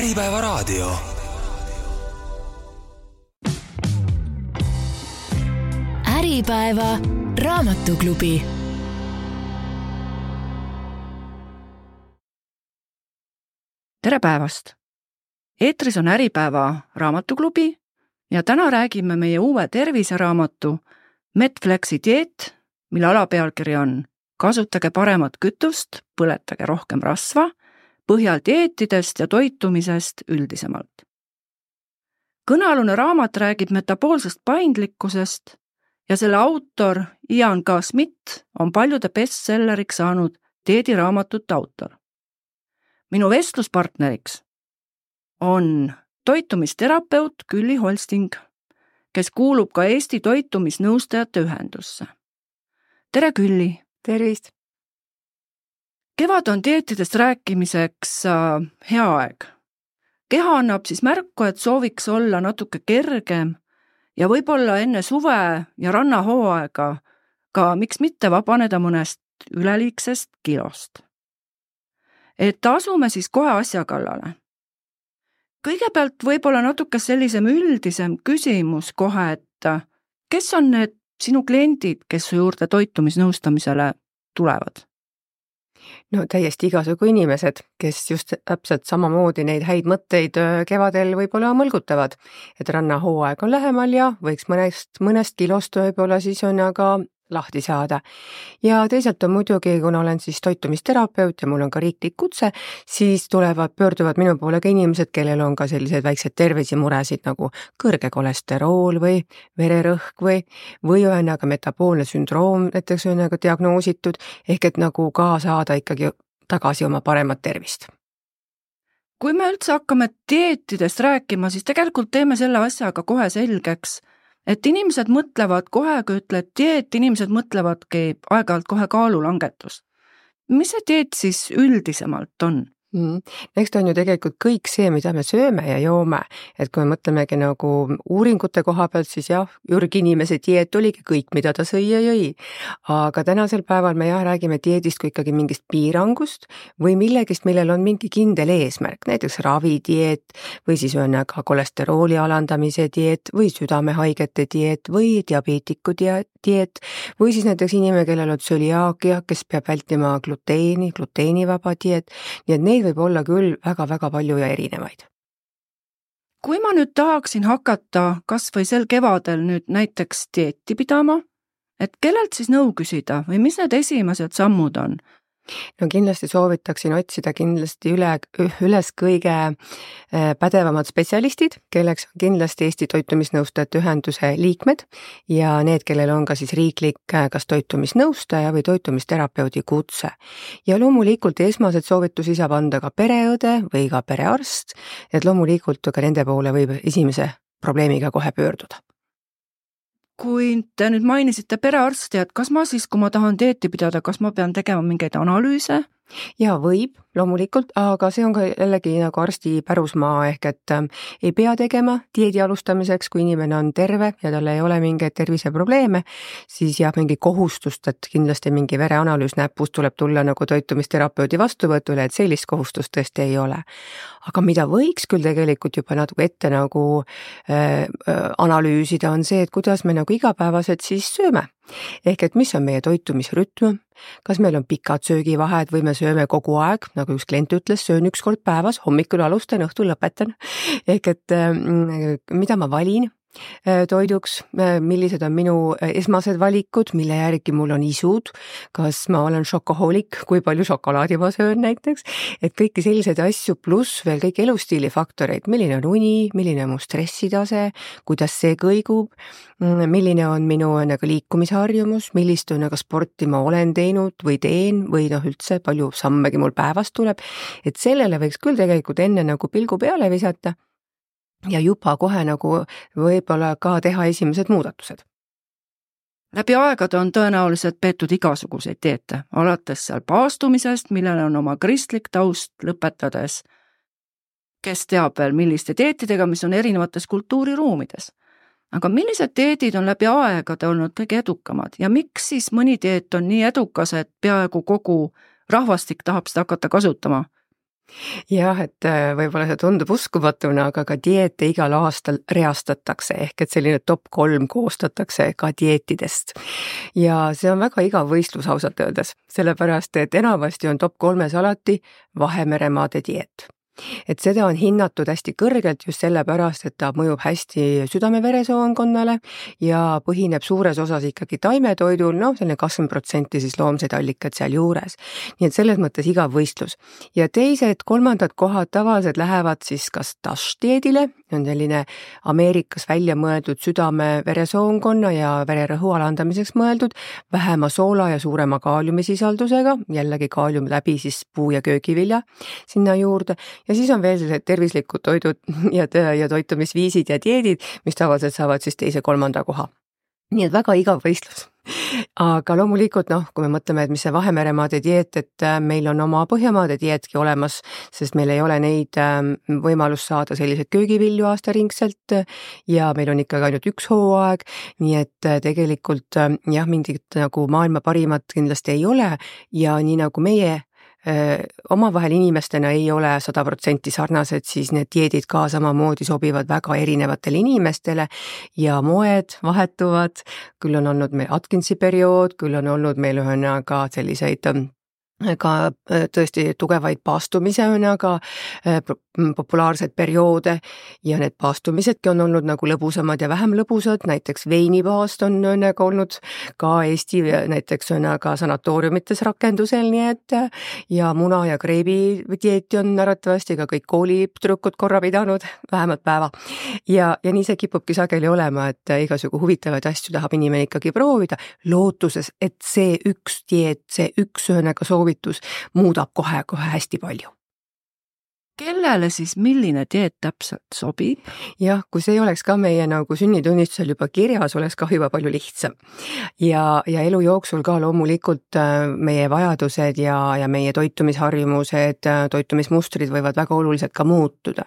Äripäevaraadio. Äripäeva raamatuklubi. Tere päevast! Eetris on Äripäeva raamatuklubi ja täna räägime meie uue terviseraamatu Medflexi dieet, mille alapealkiri on Kasutage paremat kütust, põletage rohkem rasva, põhjal dieetidest ja toitumisest üldisemalt. Kõnealune raamat räägib metaboolsest paindlikkusest ja selle autor Ian K. Smith on paljude bestselleriks saanud dieediraamatute autor. Minu vestluspartneriks on toitumisterapeut Külli Holsting, kes kuulub ka Eesti toitumisnõustajate ühendusse. Tere Külli! Tervist! Kevad on dieetidest rääkimiseks hea aeg. Keha annab siis märku, et sooviks olla natuke kergem ja võib-olla enne suve ja rannahooaega ka miks mitte vabaneda mõnest üleliigsest kilost. Et asume siis kohe asja kallale. Kõigepealt võib-olla natuke sellisem üldisem küsimus kohe, et kes on need sinu kliendid, kes su juurde toitumisnõustamisele tulevad? No täiesti igasugu inimesed, kes just täpselt samamoodi neid häid mõtteid kevadel võib-olla mõlgutavad, et rannahooaeg on lähemal ja võiks mõnest kilost võib-olla siis on aga lahti saada. Ja teisalt on muidugi, kuna olen siis toitumisterapeut ja mul on ka riiklik kutse, siis pöörduvad minu poole ka inimesed, kellel on ka sellised väiksed tervisemuresid nagu kõrge kolesterool või vererõhk või ühendaga metaboolne sündroom näiteks ühendaga diagnoositud, ehk et nagu ka saada ikkagi tagasi oma paremat tervist. Kui me üldse hakkame dieetidest rääkima, siis tegelikult teeme selle asjaga kohe selgeks, et inimesed mõtlevad kohe, kui ütled dieet, inimesed mõtlevadki aeg-ajalt kohe kaalulangetust. Mis see dieet siis üldisemalt on? Eks ta on ju tegelikult kõik see, mida me sööme ja joome, et kui me mõtlemegi nagu uuringute koha pealt, siis jah, ürginimese dieet oligi kõik, mida ta sõi ja jõi. Aga tänasel päeval me räägime dieedist kui ikkagi mingist piirangust või millegist, millel on mingi kindel eesmärk, näiteks ravidieet või siis ühendaga kolesterooli alandamise dieet või südamehaigete dieet või diabeetiku dieet või siis näiteks inimene, kellel on tsöliaakia, kes peab vältima gluteenivaba dieet, nii et neid võib olla küll väga-väga palju ja erinevaid. Kui ma nüüd tahaksin hakata kas või sel kevadel nüüd näiteks dieeti pidama, et kellelt siis nõu küsida või mis need esimesed sammud on? No kindlasti soovitaksin otsida kindlasti üles kõige pädevamad spetsialistid, kelleks on kindlasti Eesti toitumisnõustajate ühenduse liikmed ja need, kellel on ka siis riiklik kas toitumisnõustaja või toitumisterapeudi kutse. Ja loomulikult esmased soovitusi saab anda ka pereõde või ka perearst, et loomulikult ka nende poole võib esimese probleemiga kohe pöörduda. Kui te nüüd mainisite perearsti, et kas ma siis, kui ma tahan dieeti pidada, kas ma pean tegema mingeid analüüse? Ja võib, loomulikult, aga see on ka jällegi nagu arsti pärusmaa ehk et ei pea tegema dieedi alustamiseks, kui inimene on terve ja tal ei ole mingeid terviseprobleeme, siis jah, mingi kohustust, et kindlasti mingi vereanalüüs näpust tuleb tulla nagu toitumisterapeudi vastuvõtule, et sellist kohustust tõesti ei ole. Aga mida võiks küll tegelikult juba natuke ette nagu analüüsida on see, et kuidas me nagu igapäevaselt siis sööme. Ehk et mis on meie toitumisrütm, kas meil on pikad söögivahed või me sööme kogu aeg, nagu üks klient ütles, söön 1 kord päevas, hommikul alustan, õhtul lõpetan. Ehk et mida ma valin toiduks, millised on minu esmased valikud, mille järgi mul on isud, kas ma olen šokohoolik, kui palju šokolaadi ma söön näiteks, et kõiki selliseid asju pluss veel kõik elustiilifaktoreid, milline on uni, milline on mu stressitase, kuidas see kõigub, milline on minu liikumisharjumus, millist sporti ma olen teinud või teen või üldse palju sammegi mul päevas tuleb, et sellele võiks küll tegelikult enne nagu pilgu peale visata ja juba kohe nagu võib-olla ka teha esimesed muudatused. Läbi aegade on tõenäoliselt peetud igasuguseid dieete, alates seal paastumisest, millel on oma kristlik taust, lõpetades, kes teab veel milliste dieetidega, mis on erinevates kultuuriruumides. Aga millised dieedid on läbi aegade olnud kõige edukamad ja miks siis mõni dieet on nii edukas, et peaaegu kogu rahvastik tahab seda hakata kasutama? jah, et võib-olla see tundub uskumatuna, aga ka dieete igal aastal reastatakse ehk et selline top 3 koostatakse ka dieetidest. Ja see on väga igav võistlus ausalt öeldes, sellepärast et enamasti on top 3-s alati Vahemeremaade dieet. Et seda on hinnatud hästi kõrgelt just sellepärast, et ta mõjub hästi südame-veresoonkonnale ja põhineb suures osas ikkagi taimetoidul, selline 20% siis loomseid allikaid seal juures. Nii et selles mõttes igav võistlus. Ja teised, kolmandad kohad tavaliselt lähevad siis kas DASH-dieedile, on selline Ameerikas välja mõeldud südame-veresoonkonna ja vererõhu alandamiseks mõeldud, vähema soola ja suurema kaaliumisisaldusega, jällegi kaalium läbi siis puu- ja köögivilja sinna juurde. Ja siis on veel sellised tervislikud toidud ja toitumisviisid ja dieedid, mis tavaliselt saavad siis 2.-3. koha. Nii et väga igav võistlus. Aga loomulikult, kui me mõtleme, et mis see Vahemeremaade dieet, et meil on oma Põhjamaade dieetki olemas, sest meil ei ole neid võimalust saada selliseid köögivilju aastaringselt ja meil on ikkagi ainult üks hooaeg, nii et tegelikult jah, mingit nagu maailma parimat kindlasti ei ole ja nii nagu meie omavahel inimestena ei ole 100% sarnased, siis need dieedid ka samamoodi sobivad väga erinevatele inimestele ja moed vahetuvad, küll on olnud meil Atkinsi periood, küll on olnud meil ühesõnaga selliseid ka tõesti tugevaid paastumise populaarseid perioode ja need paastumisedki on olnud nagu lõbusamad ja vähem lõbusad, näiteks veinipaast on olnud ka Eesti näiteks sanatooriumites rakendusel, nii et ja muna- ja kreebi dieeti on arvatavasti ka kõik koolitüdrukud korra pidanud, vähemalt päeva. Ja nii see kipubki sageli olema, et igasugu huvitavaid asju tahab inimene ikkagi proovida, lootuses, et see üks dieet, see üks soovitus muudab kohe hästi palju. Kellele siis milline dieet täpselt sobib? Jah, kui see oleks ka meie nagu sünnitunnistusel juba kirjas, oleks ka juba palju lihtsam. Ja elu jooksul ka loomulikult meie vajadused ja meie toitumisharjumused, toitumismustrid võivad väga oluliselt ka muutuda.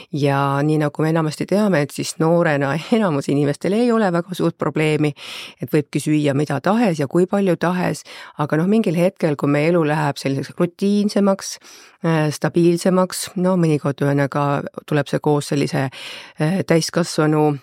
Ja nii nagu me enamasti teame, et siis noorena enamus inimestel ei ole väga suurt probleemi, et võibki süüa mida tahes ja kui palju tahes, aga mingil hetkel, kui meie elu läheb selliseks rutiinsemaks, stabiilsemaks, mõnikord tuleb see koos sellise täiskasvanu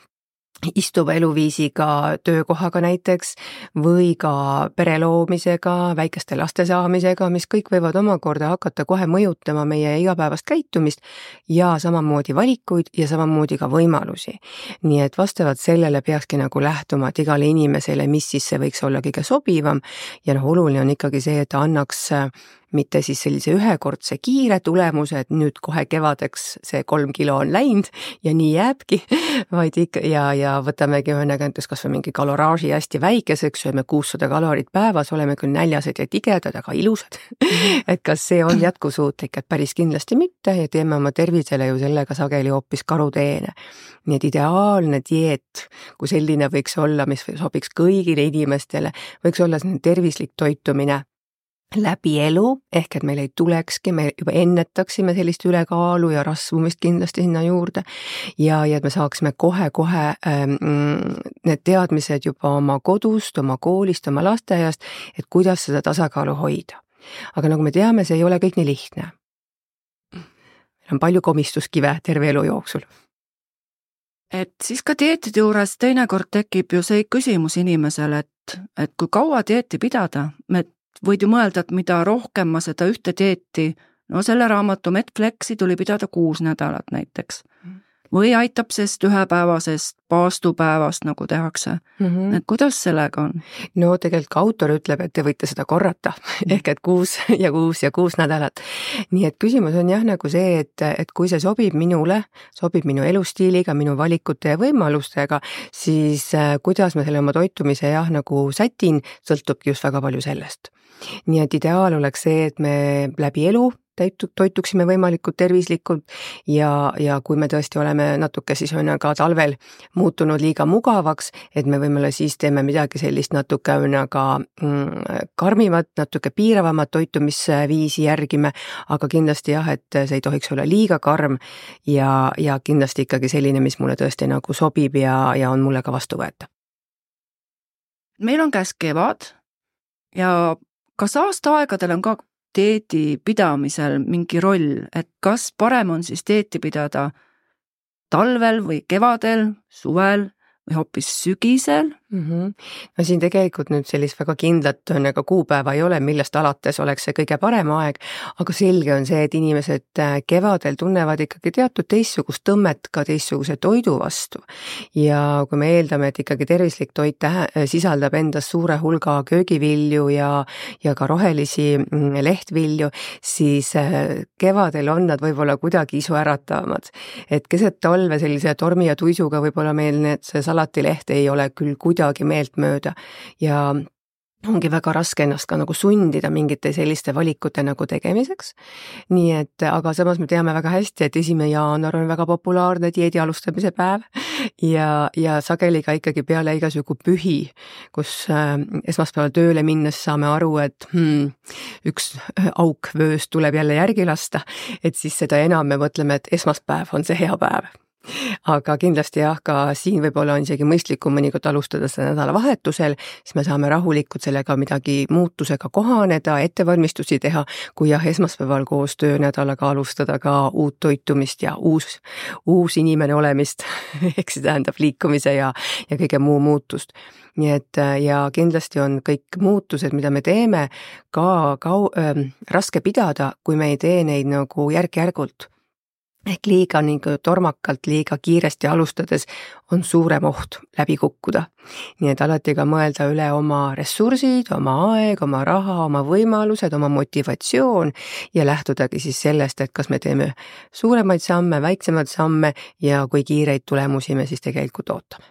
istuva eluviisiga, töökohaga näiteks või ka pere loomisega, väikeste laste saamisega, mis kõik võivad omakorda hakata kohe mõjutama meie igapäevast käitumist ja samamoodi valikuid ja samamoodi ka võimalusi. Nii et vastavalt sellele peakski nagu lähtuma, et igale inimesele, mis siis see võiks olla kõige sobivam ja oluline on ikkagi see, et ta annaks mitte siis sellise ühekordse kiire tulemuse, et nüüd kohe kevadeks see 3 kilo on läinud ja nii jääbki, vaid ikka ja võtamegi näiteks kas või mingi kaloraaži hästi väikeseks, sööme 600 kalorit päevas, oleme küll näljased ja tigedad, aga ilusad. Et kas see on jätkusuutlik, et päris kindlasti mitte ja teeme oma tervisele ju sellega sageli hoopis karuteene. Nii et ideaalne dieet, kui selline võiks olla, mis sobiks kõigile inimestele, võiks olla selline tervislik toitumine läbi elu, ehk et meil ei tulekski, me juba ennetaksime sellist ülekaalu ja rasvumist kindlasti sinna juurde ja et me saaksime kohe need teadmised juba oma kodust, oma koolist, oma lasteaiast, et kuidas seda tasakaalu hoida. Aga nagu me teame, see ei ole kõik nii lihtne. Meil on palju komistuskive terve elu jooksul. Et siis ka dieetide juures teinekord tekib ju see küsimus inimesele, et kui kaua dieeti pidada, võid ju mõelda, et mida rohkem ma seda ühte dieeti, selle raamatu Medflexi tuli pidada 6 nädalat näiteks. Või aitab sest ühepäevasest paastupäevast nagu tehakse. Et kuidas sellega on? No tegelikult ka autor ütleb, et te võite seda korrata, ehk et 6 nädalat. Nii et küsimus on jah nagu see, et kui see sobib minule, sobib minu elustiiliga, minu valikute ja võimalustega, siis kuidas ma selle oma toitumise nagu sätin, sõltubki just väga palju sellest. Nii et ideaal oleks see, et me läbi elu toituksime võimalikult tervislikult ja kui me tõesti oleme natuke siis ka talvel muutunud liiga mugavaks, et me võimalik siis teeme midagi sellist natuke karmimat, natuke piiravamat toitumisviisi järgime, aga kindlasti jah, et see ei tohiks olla liiga karm ja kindlasti ikkagi selline, mis mulle tõesti nagu sobib ja on mulle ka vastuvõetav. Meil on käes kevad ja kas aastaaegadel on ka dieedi pidamisel mingi roll, et kas parem on siis dieeti pidada talvel või kevadel, suvel või hoopis sügisel? No siin tegelikult nüüd sellist väga kindlat aga kuupäeva ei ole, millest alates oleks see kõige parem aeg, aga selge on see, et inimesed kevadel tunnevad ikkagi teatud teistsugust tõmmet ka teistsuguse toidu vastu. Ja kui me eeldame, et ikkagi tervislik toit sisaldab endas suure hulga köögivilju ja ka rohelisi lehtvilju, siis kevadel on nad võib-olla kuidagi isuäratavamad. Et keset talve sellise tormi ja tuisuga võib-olla meil see salatileht ei ole küll kuidagi meeltmööda ja ongi väga raske ennast ka nagu sundida mingite selliste valikute nagu tegemiseks. Nii et, aga samas me teame väga hästi, et 1. jaanuar on väga populaarne dieedi alustamise päev ja sageli ka ikkagi peale igasugu pühi, kus esmaspäeval tööle minnes saame aru, et üks auk vööst tuleb jälle järgi lasta, et siis seda enam me mõtleme, et esmaspäev on see hea päev. Aga kindlasti jah, ka siin võib-olla on isegi mõistlikum mõnikord alustada seda nädalavahetusel, siis me saame rahulikult sellega midagi muutusega kohaneda, ettevalmistusi teha, kui jah, esmaspäeval koos töönädalaga alustada ka uut toitumist ja uus inimene olemist, ehk see tähendab liikumise ja kõige muu muutust. Nii et ja kindlasti on kõik muutused, mida me teeme, ka raske pidada, kui me ei tee neid nagu järk-järgult. Ehk liiga nagu tormakalt, liiga kiiresti alustades on suurem oht läbi kukkuda. Nii et alati ka mõelda üle oma ressursid, oma aeg, oma raha, oma võimalused, oma motivatsioon ja lähtudagi siis sellest, et kas me teeme suuremaid samme, väiksemaid samme ja kui kiireid tulemusi me siis tegelikult ootame.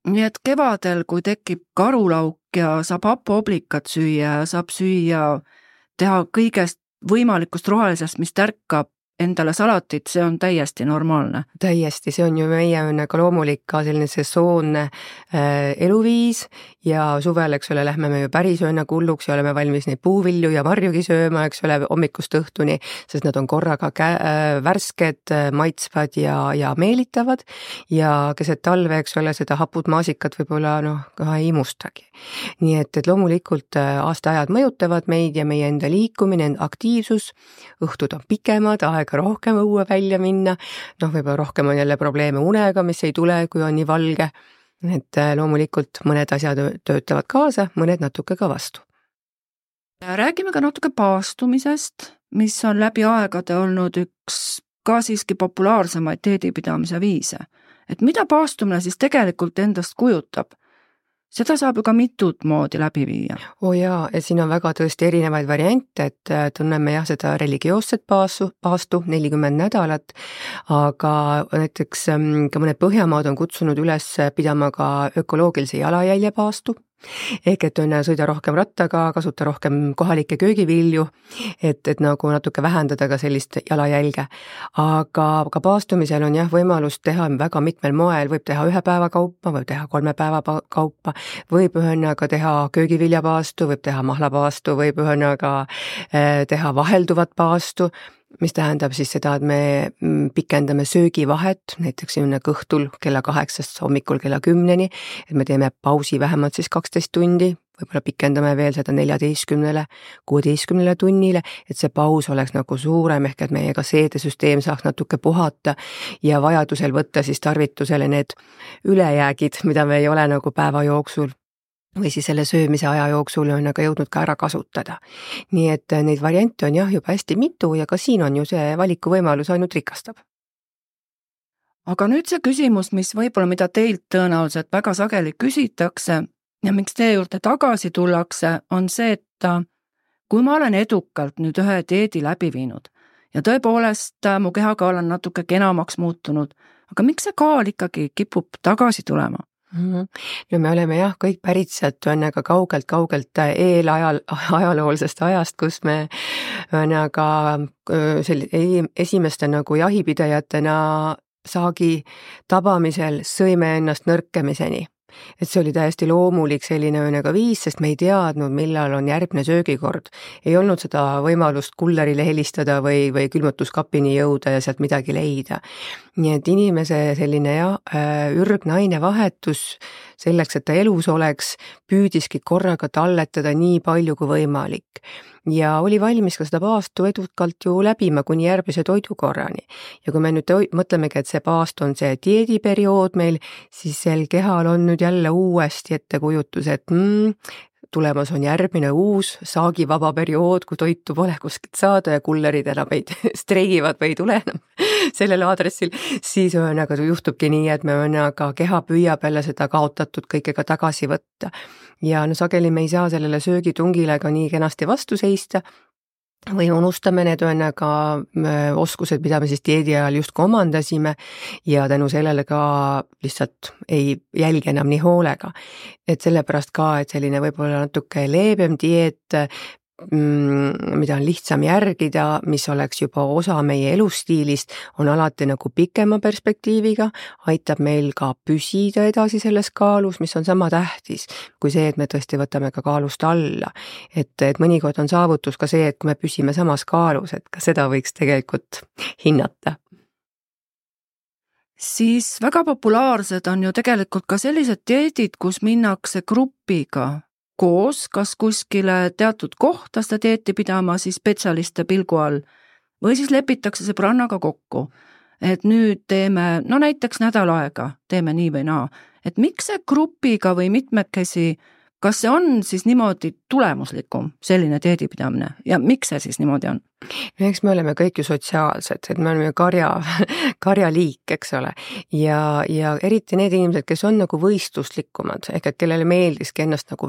Nii et kevadel, kui tekib karulauk ja saab hapooblikat süüa ja saab teha kõigest võimalikust rohelisest, mis tärkab endale salatit, see on täiesti normaalne. Täiesti, see on ju meie ka loomulik ka selline sesoonne eluviis ja suvel, eks ole, lähme me ju pärisööna hulluks ja oleme valmis neid puuvilju ja marjugi sööma, eks ole, hommikust õhtuni, sest nad on korraga värsked, maitsvad ja meelitavad ja keset talve, eks ole, seda hapud maasikat võib-olla ka ei imustagi. Nii et loomulikult aastaajad mõjutavad meid ja meie enda liikumine, aktiivsus, õhtud on pikemad, aega rohkem õue välja minna, võib-olla rohkem on jälle probleeme unega, mis ei tule, kui on nii valge, et loomulikult mõned asjad töötavad kaasa, mõned natuke ka vastu. Räägime ka natuke paastumisest, mis on läbi aegade olnud üks ka siiski populaarsemaid dieedipidamise viise. Et mida paastumine siis tegelikult endast kujutab? Seda saab ju ka mitut moodi läbi viia. Jaa, et siin on väga tõesti erinevaid variante, et tunneme jah seda religioosset paastu 40 nädalat, aga näiteks ka mõned Põhjamaad on kutsunud üles pidama ka ökoloogilise jalajälje paastu, ehk et sõida rohkem rattaga, kasuta rohkem kohalikke köögivilju, et nagu natuke vähendada ka sellist jalajälge. Aga ka paastumisel on jah võimalus teha väga mitmel moel, võib teha 1 päeva kaupa, võib teha 3 päeva kaupa, võib ühendaga teha köögiviljapaastu, võib teha mahlapaastu, võib ühendaga teha vahelduvat paastu, mis tähendab siis seda, et me pikendame söögivahet, näiteks õhtul kella 8 hommikul kella 10, et me teeme pausi vähemalt siis 12 tundi, võib-olla pikendame veel seda 14–16 tunnile, et see paus oleks nagu suurem, ehk et meie ka seedesüsteem saaks natuke puhata ja vajadusel võtta siis tarvitusele need ülejäägid, mida me ei ole nagu päeva jooksul või siis selle söömise aja jooksul on aga jõudnud ka ära kasutada. Nii et neid variante on jah juba hästi mitu ja ka siin on ju see valikuvõimalus ainult rikastab. Aga nüüd see küsimus, mis võib-olla mida teilt tõenäoliselt väga sageli küsitakse ja miks teie juurde tagasi tullakse, on see, et kui ma olen edukalt nüüd ühe dieedi läbi viinud ja tõepoolest mu kehaga olen natuke kenamaks muutunud, aga miks see kaal ikkagi kipub tagasi tulema? No me oleme jah kõik pärit sealt ka kaugelt eelajaloolsest ajast, kus me esimeste nagu jahipidajatena saagi tabamisel sõime ennast nõrkemiseni. Et see oli täiesti loomulik selline viis, sest me ei teadnud, millal on järgmine söögikord. Ei olnud seda võimalust kullerile helistada või külmutuskapini jõuda ja sealt midagi leida. Nii et inimese selline ürgne ainevahetus selleks, et ta elus oleks, püüdiski korraga talletada nii palju kui võimalik. Ja oli valmis ka seda paastu edukalt ju läbima kuni järgmise toidukorrani. Ja kui me nüüd mõtlemegi, et see paast on see dieediperiood meil, siis sel kehal on nüüd jälle uuesti ettekujutus, et tulemas on järgmine uus saagivaba periood, kui toitu pole kuskilt saada ja kullerid enam ei streigivad või ei tule enam sellel aadressil, siis juhtubki nii, et keha püüab jälle seda kaotatud kõikega tagasi võtta. Ja sageli me ei saa sellele söögitungile ka nii kenasti vastu seista, või unustame need oskused, mida me siis dieedi ajal justkui omandasime ja tänu sellele ka lihtsalt ei jälgi enam nii hoolega. Et sellepärast ka, et selline võib-olla natuke leebem dieet, mida on lihtsam järgida, mis oleks juba osa meie elustiilist, on alati nagu pikema perspektiiviga, aitab meil ka püsida edasi selles kaalus, mis on sama tähtis kui see, et me tõesti võtame ka kaalust alla. Et mõnikord on saavutus ka see, et kui me püsime samas kaalus, et ka seda võiks tegelikult hinnata. Siis väga populaarsed on ju tegelikult ka sellised dieedid, kus minnakse grupiga koos, kas kuskile teatud kohta seda dieeti pidama siis spetsialiste pilgu all või siis lepitakse sõbrannaga kokku, et nüüd teeme, näiteks nädal aega teeme nii või naa, et miks see grupiga või mitmekesi, kas see on siis niimoodi tulemuslikum selline dieedipidamine ja miks see siis niimoodi on? Eks me oleme kõik ju sotsiaalsed, et me oleme karjaliik, eks ole, ja eriti need inimesed, kes on nagu võistluslikumad, ehk et kellele meeldiski ennast nagu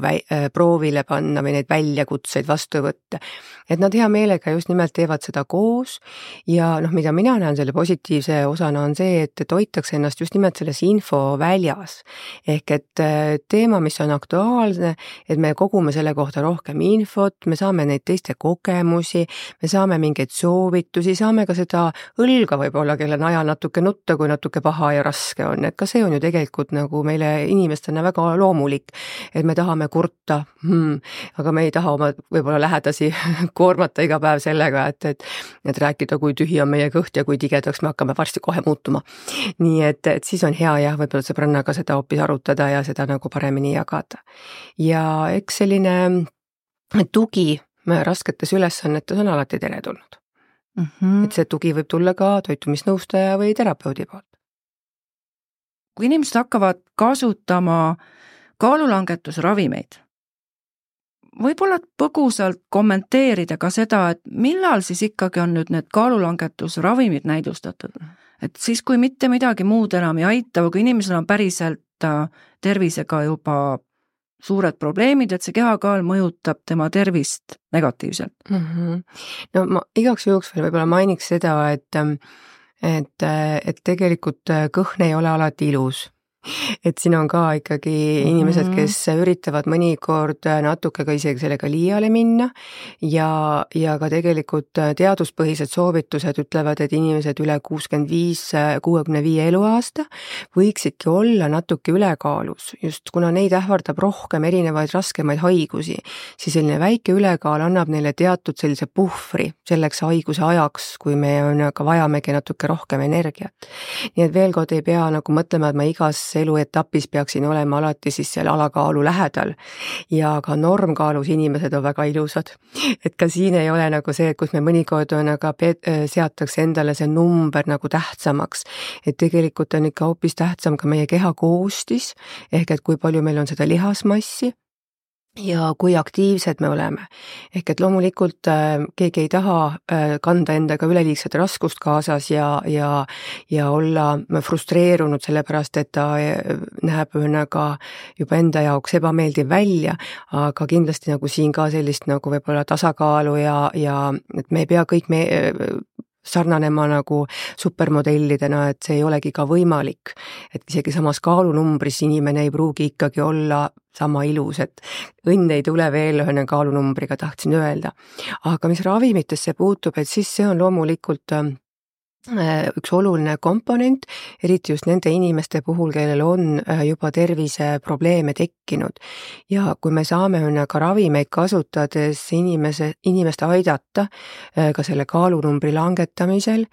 proovile panna või neid väljakutseid vastu võtta, et nad hea meelega just nimelt teevad seda koos ja mida mina näen selle positiivse osana on see, et hoitakse ennast just nimelt selles infoväljas, ehk et teema, mis on aktuaalne, et me kogume selle kohta rohkem infot, me saame neid teiste kogemusi, me saame mingeid soovitusi, saame ka seda õlga võib-olla, kelle najal natuke nutta, kui natuke paha ja raske on, et ka see on ju tegelikult nagu meile inimestena väga loomulik, et me tahame kurta, aga me ei taha oma võib-olla lähedasi koormata iga päev sellega, et rääkida, kui tühi on meie kõht ja kui tigedaks me hakkame varsti kohe muutuma. Nii et siis on hea jah, võib-olla sõbrannaga seda hoopis arutada ja seda nagu paremini jagada. Ja eks selline tugi rasketes ülesannetes on alati teretulnud. Et see tugi võib tulla ka toitumisnõustaja või terapeudi poolt. Kui inimesed hakkavad kasutama kaalulangetusravimeid, võib-olla põgusalt kommenteerida ka seda, et millal siis ikkagi on nüüd need kaalulangetusravimid näidustatud. Et siis, kui mitte midagi muud enam ei aita, või kui inimesel on päriselt tervisega juba suured probleemid, et see kehakaal mõjutab tema tervist negatiivselt. No ma igaks juhuks veel võib-olla mainiks seda, et tegelikult kõhn ei ole alati ilus. Et siin on ka ikkagi inimesed, kes üritavad mõnikord natuke ka isegi sellega liiale minna ja ka tegelikult teaduspõhised soovitused ütlevad, et inimesed üle 65 eluaasta võiksidki olla natuke ülekaalus, just kuna neid ähvardab rohkem erinevaid raskemaid haigusi, siis selline väike ülekaal annab neile teatud sellise puhvri selleks haiguse ajaks, kui me ka vajamegi natuke rohkem energiat. Nii et veel kord ei pea nagu mõtlema, et ma igas eluetapis peaksin olema alati siis seal alakaalu lähedal ja ka normkaalus inimesed on väga ilusad. Et ka siin ei ole nagu see, kus me mõnikord on seatakse endale see number nagu tähtsamaks, et tegelikult on ikka hoopis tähtsam ka meie keha koostis, ehk et kui palju meil on seda lihasmassi ja kui aktiivsed me oleme. Ehk et loomulikult keegi ei taha kanda endaga üleliigset raskust kaasas ja olla frustreerunud sellepärast, et ta näeb juba enda jaoks ebameeldiv välja, aga kindlasti nagu siin ka sellist nagu võib-olla tasakaalu ja et me ei pea kõik sarnanema nagu supermodellidena, et see ei olegi ka võimalik, et isegi samas kaalunumbris inimene ei pruugi ikkagi olla sama ilus, et õnn ei tule veel ühe kaalunumbriga, tahtsin öelda. Aga mis ravimitesse puutub, et siis see on loomulikult üks oluline komponent, eriti just nende inimeste puhul, kellel on juba terviseprobleeme tekkinud. Ja kui me saame ka ravimeid kasutades inimest aidata ka selle kaalunumbri langetamisel,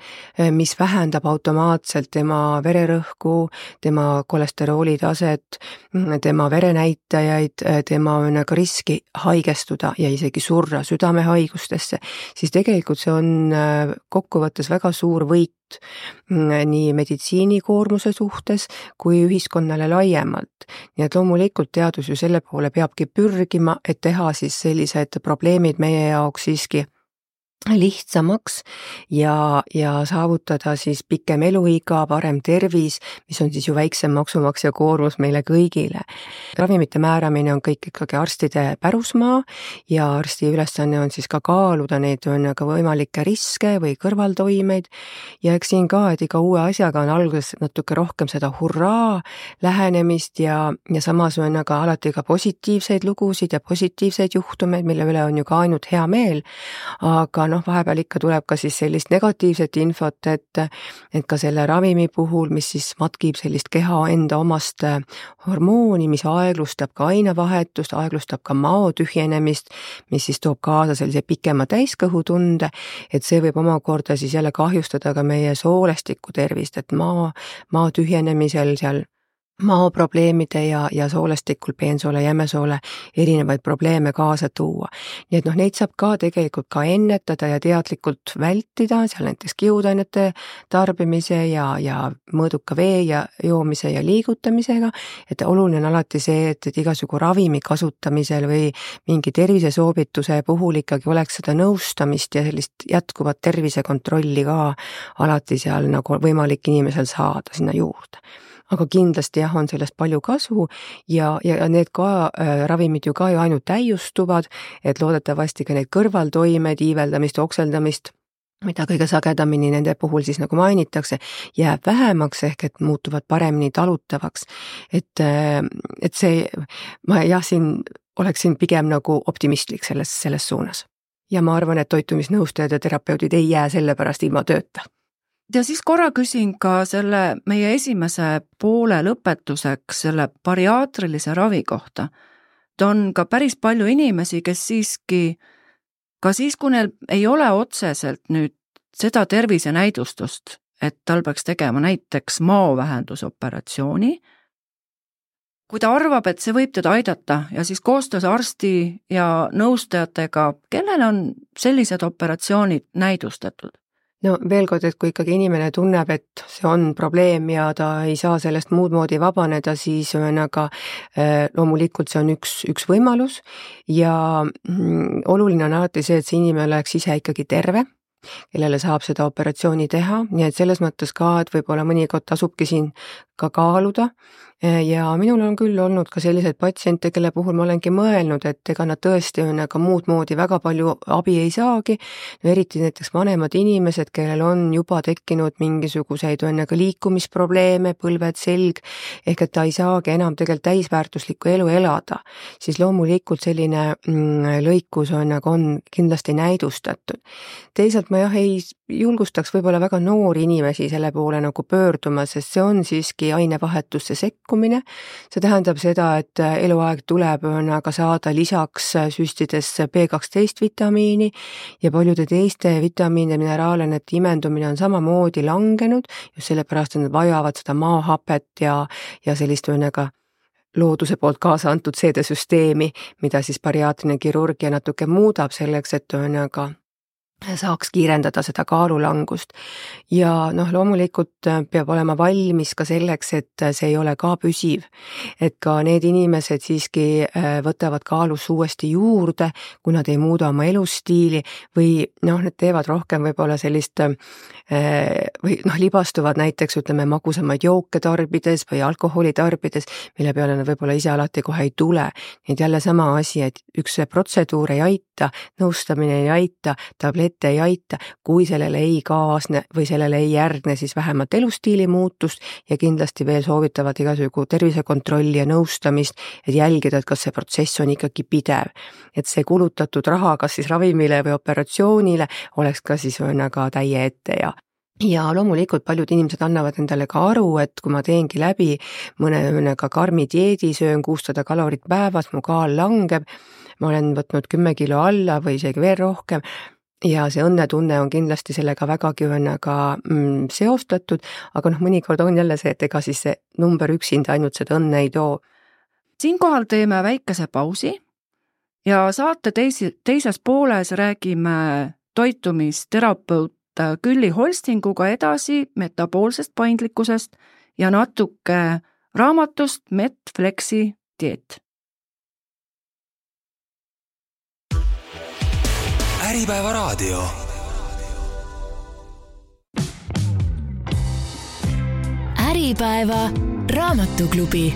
mis vähendab automaatselt tema vererõhku, tema kolesterooli taset, tema verenäitajaid, tema ka riski haigestuda ja isegi surra südamehaigustesse, siis tegelikult see on kokkuvõttes väga suur võit nii meditsiinikoormuse suhtes kui ühiskonnale laiemalt. Nii et loomulikult teadus ju selle poole peabki pürgima, et teha siis sellised probleemid meie jaoks siiski lihtsamaks ja saavutada siis pikem eluiga, parem tervis, mis on siis ju väiksem maksumaksja koormus meile kõigile. Ravimite määramine on kõik ikkagi arstide pärusmaa ja arsti ülesanne on siis ka kaaluda neid ka võimalikke riske või kõrvaltoimeid ja eks siin ka, et iga uue asjaga on alguses natuke rohkem seda hurraa lähenemist ja samas on aga alati ka positiivseid lugusid ja positiivseid juhtumeid, mille üle on ju ka ainult hea meel, aga vahepeal ikka tuleb ka siis sellist negatiivset infot, et ka selle ravimi puhul, mis siis matkib sellist keha enda omast hormooni, mis aeglustab ka ainevahetust, aeglustab ka mao tühjenemist, mis siis toob kaasa sellise pikema täiskõhutunde, et see võib omakorda siis jälle kahjustada ka meie soolestiku tervist, et mao tühjenemisel seal maoprobleemide ja soolestikul peensoole, jämesoole erinevaid probleeme kaasa tuua. Nii et neid saab ka tegelikult ka ennetada ja teadlikult vältida, seal näiteks kihudainete tarbimise ja mõõduka vee ja joomise ja liigutamisega, et oluline on alati see, et igasugu ravimi kasutamisel või mingi tervisesoovituse puhul ikkagi oleks seda nõustamist ja sellist jätkuvat tervisekontrolli ka alati seal nagu võimalik inimesel saada sinna juurde. Aga kindlasti on sellest palju kasu ja need ka ravimid ju ka ju ainult täiustuvad, et loodetavasti ka neid kõrvaltoimeid, iiveldamist, okseldamist, mida kõige sagedamini nende puhul siis nagu mainitakse, jääb vähemaks ehk et muutuvad paremini talutavaks. Et see, ma siin oleksin pigem nagu optimistlik selles suunas. Ja ma arvan, et toitumisnõustajad ja terapeudid ei jää selle pärast ilma tööta. Ja siis korra küsin ka selle meie esimese poole lõpetuseks selle bariaatrilise ravi kohta. Ta on ka päris palju inimesi, kes siiski, ka siis, kui neil ei ole otseselt nüüd seda tervisenäidustust, et tal peaks tegema näiteks maovähendusoperatsiooni, kui ta arvab, et see võib teda aidata ja siis koostöös arsti ja nõustajatega, kellel on sellised operatsioonid näidustatud? No veel kord, et kui ikkagi inimene tunneb, et see on probleem ja ta ei saa sellest muud moodi vabaneda, siis loomulikult see on üks võimalus ja oluline on alati see, et see inimene oleks ise ikkagi terve, kellele saab seda operatsiooni teha, nii et selles mõttes ka, et võib-olla mõnikord tasubki siin ka kaaluda ja minul on küll olnud ka selliseid patsiente, kelle puhul ma olengi mõelnud, et ega nad tõesti on ka muud moodi väga palju abi ei saagi, no eriti näiteks vanemad inimesed, kellel on juba tekkinud mingisuguseid ka liikumisprobleeme, põlved, selg, ehk et ta ei saagi enam tegelikult täisväärtuslikku elu elada, siis loomulikult selline lõikus on kindlasti näidustatud. Teisalt ma ei julgustaks võib-olla väga noori inimesi selle poole nagu pöörduma, sest see on siiski ainevahetusse sekkumine. See tähendab seda, et eluaeg tuleb aga saada lisaks süstides B12 vitamiini ja paljude teiste vitamiinide mineraalainete imendumine on samamoodi langenud, just sellepärast, et nad vajavad seda maahapet ja sellist looduse poolt kaasa antud seedesüsteemi, mida siis bariaatriline kirurgia natuke muudab selleks, et saaks kiirendada seda kaalulangust ja loomulikult peab olema valmis ka selleks, et see ei ole ka püsiv, et ka need inimesed siiski võtavad kaalus uuesti juurde, kui nad ei muuda oma elustiili või need teevad rohkem võib-olla sellist või libastuvad näiteks magusamaid jooke tarbides või alkoholi tarbides, mille peale nad võib-olla ise alati kohe ei tule. Nii et jälle sama asi, et üks protseduur ei aita, nõustamine ei aita, tablette ei aita, kui sellele ei kaasne või sellele ei järgne siis vähemalt elustiili muutust ja kindlasti veel soovitavad igasugu tervisekontrolli ja nõustamist, et jälgida, et kas see protsess on ikkagi pidev. Et see kulutatud raha kas siis ravimile või operatsioonile oleks ka siis täie ette ja ja loomulikult paljud inimesed annavad endale ka aru, et kui ma teengi läbi mõne ka karmi dieedi, söön 600 kalorit päevas, mu kaal langeb, ma olen võtnud 10 kilo alla või isegi veel rohkem ja see õnnetunne on kindlasti sellega vägagi seostatud, aga mõnikord on jälle see, et ega siis see number üksinda ainult seda õnne ei too. Siinkohal teeme väikese pausi ja saate teises pooles räägime toitumisterapeut Külli Holstinguga edasi metaboolsest paindlikkusest ja natuke raamatust Medflexi dieet. Äripäeva raadio. Äripäeva raamatuklubi.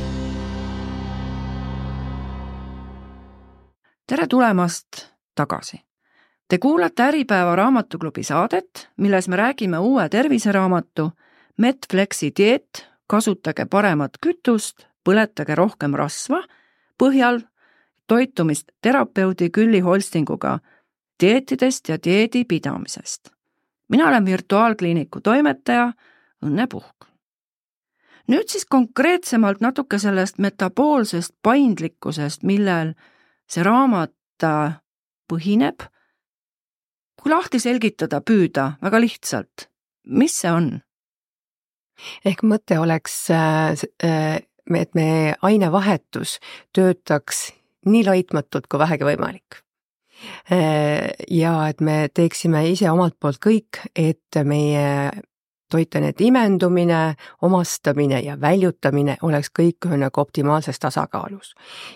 Tere tulemast tagasi. Te kuulate Äripäeva raamatuklubi saadet, milles me räägime uue terviseraamatu Medflexi dieet, kasutage paremat kütust, põletage rohkem rasva põhjal toitumist terapeudi Külli Holstinguga dieetidest ja dieedi pidamisest. Mina olen virtuaalkliiniku toimetaja Õnne Puhk. Nüüd siis konkreetsemalt natuke sellest metaboolsest paindlikkusest, millel see raamat põhineb. Kui lahti selgitada püüda väga lihtsalt, mis see on? Ehk mõte oleks, et me ainevahetus töötaks nii laitmatult kui vähegi võimalik. Ja et me teeksime ise omalt poolt kõik, et meie toitainete imendumine, omastamine ja väljutamine oleks kõik optimaalses tasakaalus.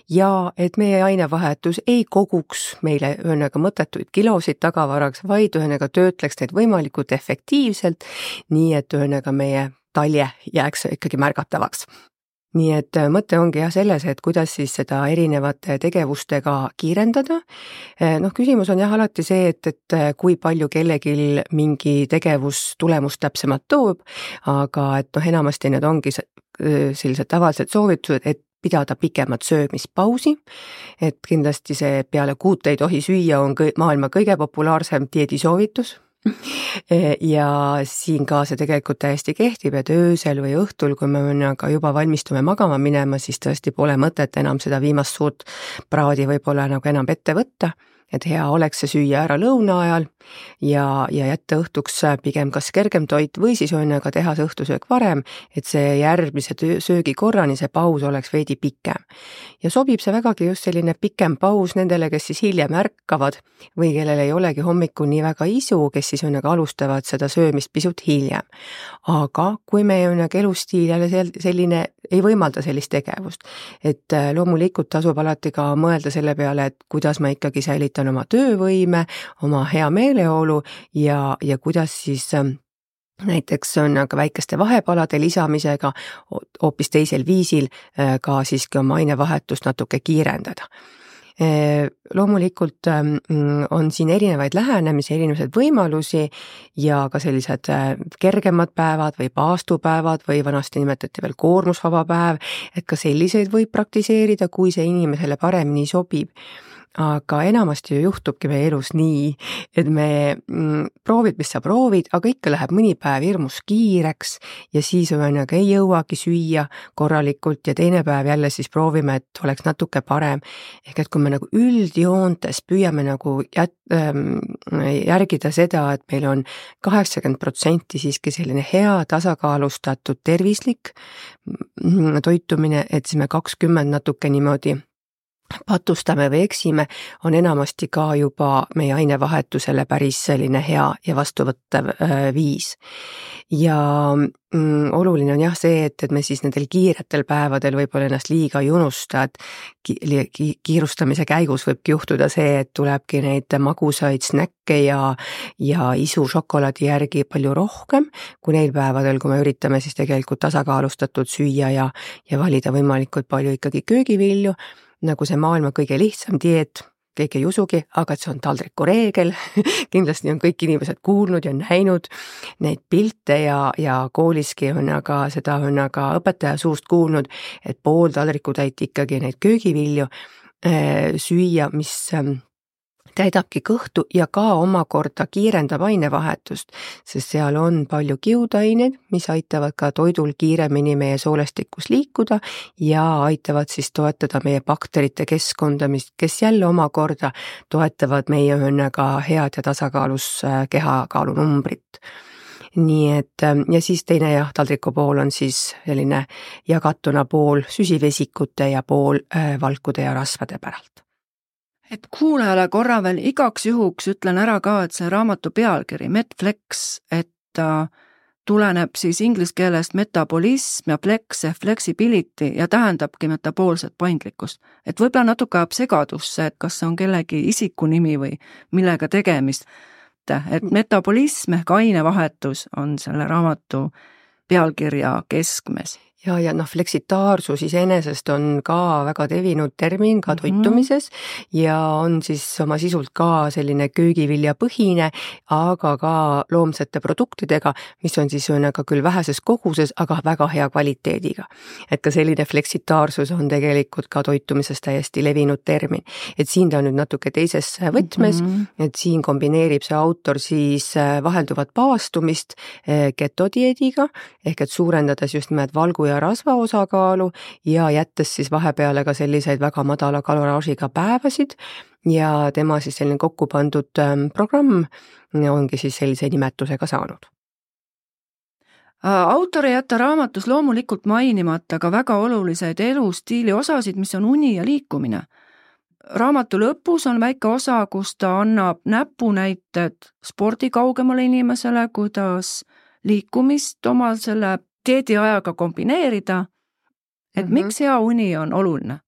Ja et meie ainevahetus ei koguks meile mõttetuid kilosid tagavaraks, vaid töötleks neid võimalikult efektiivselt, nii et meie talje jääks ikkagi märgatavaks. Nii et mõte ongi selles, et kuidas siis seda erinevate tegevustega kiirendada. Küsimus on alati see, et kui palju kellegil mingi tegevus tulemust täpsemalt toob, aga et enamasti need ongi sellised tavalised soovitused, et pidada pikemat söömispausi, et kindlasti see peale 6 ei tohi süüa on maailma kõige populaarsem dieedisoovitus. Ja siin ka see tegelikult täiesti kehtib, et öösel või õhtul, kui me juba valmistume magama minema, siis tõesti pole mõtet enam seda viimast suurt praadi võib-olla enam ette võtta, et hea oleks see süüa ära lõuna ajal ja jätta õhtuks pigem kas kergem toit või siis teha see õhtusöök varem, et see järgmise söögikorrani see paus oleks veidi pikem. Ja sobib see vägagi just selline pikem paus nendele, kes siis hiljem ärkavad või kellel ei olegi hommikul nii väga isu, kes siis alustavad seda söömist pisut hiljem. Aga kui meie elustiil jälle selline ei võimalda sellist tegevust, et loomulikult tasub alati ka mõelda selle peale, et kuidas ma ikkagi säilitan oma töövõime, oma hea meeleolu ja kuidas siis näiteks on ka väikeste vahepalade lisamisega hoopis teisel viisil ka siiski oma ainevahetust natuke kiirendada. Loomulikult on siin erinevaid lähenemisi, erinevaid võimalusi ja ka sellised kergemad päevad või paastupäevad või vanasti nimetati veel koormusvaba päev, et ka selliseid võib praktiseerida, kui see inimesele paremini sobib. Aga enamasti juhtubki meie elus nii, et me proovid, mis sa proovid, aga ikka läheb mõni päev hirmus kiireks ja siis ei jõuagi süüa korralikult ja teine päev jälle siis proovime, et oleks natuke parem. Ehk et kui me üldjoontes püüame järgida seda, et meil on 80% siiski selline hea tasakaalustatud tervislik toitumine, et siis me 20 natuke niimoodi patustame või eksime, on enamasti ka juba meie ainevahetusele päris selline hea ja vastuvõttev viis. Ja oluline on see, et me siis nendel kiiretel päevadel võib-olla ennast liiga ei unusta, et kiirustamise käigus võibki juhtuda see, et tulebki neid magusaid snäkke ja isu šokolaadi järgi palju rohkem, kui neil päevadel, kui me üritame siis tegelikult tasakaalustatud süüa ja valida võimalikult palju ikkagi köögivilju, nagu see maailma kõige lihtsam dieet, keegi ei usugi, aga see on taldriku reegel. Kindlasti on kõik inimesed kuulnud ja näinud neid pilte ja kooliski on aga seda on aga õpetaja suust kuulnud, et pool taldrikutäit ikkagi neid köögivilju süüa, mis täidabki kõhtu ja ka omakorda kiirendab ainevahetust, sest seal on palju kiudaineid, mis aitavad ka toidul kiiremini meie soolestikus liikuda ja aitavad siis toetada meie bakterite keskkonda, kes jälle omakorda toetavad meie ühesõnaga head ja tasakaalus kehakaalunumbrit. Nii et ja siis teine taldriku pool on siis selline jagatuna pool süsivesikute ja pool valkude ja rasvade päralt. Et kuulajale korra veel igaks juhuks ütlen ära ka, et see raamatu pealkiri Metflex, et ta tuleneb siis inglise keelest metabolism ja flex ehk flexibility ja tähendabki metaboolset paindlikkust. Et võib-olla natuke ajab segadusse, et kas see on kellegi isikunimi või millega tegemist. Et metabolism ehk ainevahetus on selle raamatu pealkirja keskmes. Ja fleksitaarsus iseenesest on ka väga tevinud termin ka toitumises ja on siis oma sisult ka selline köögiviljapõhine, aga ka loomsete produktidega, mis on siis küll väheses koguses, aga väga hea kvaliteediga. Et ka selline fleksitaarsus on tegelikult ka toitumises täiesti levinud termin. Et siin ta on nüüd natuke teises võtmes, et siin kombineerib see autor siis vahelduvat paastumist ketodieediga, ehk et suurendades just nimelt valgu ja rasva osakaalu ja jättes siis vahepeale ka selliseid väga madala kaloraažiga päevasid ja tema siis selline kokku pandud programm ongi siis sellise nimetusega saanud. Autor ei jätta raamatus loomulikult mainimata ka väga oluliseid elustiili osasid, mis on uni ja liikumine. Raamatu lõpus on väike osa, kus ta annab näpunäited spordi kaugemale inimesele, kuidas liikumist oma selle dieediajaga kombineerida, et miks hea uni on oluline?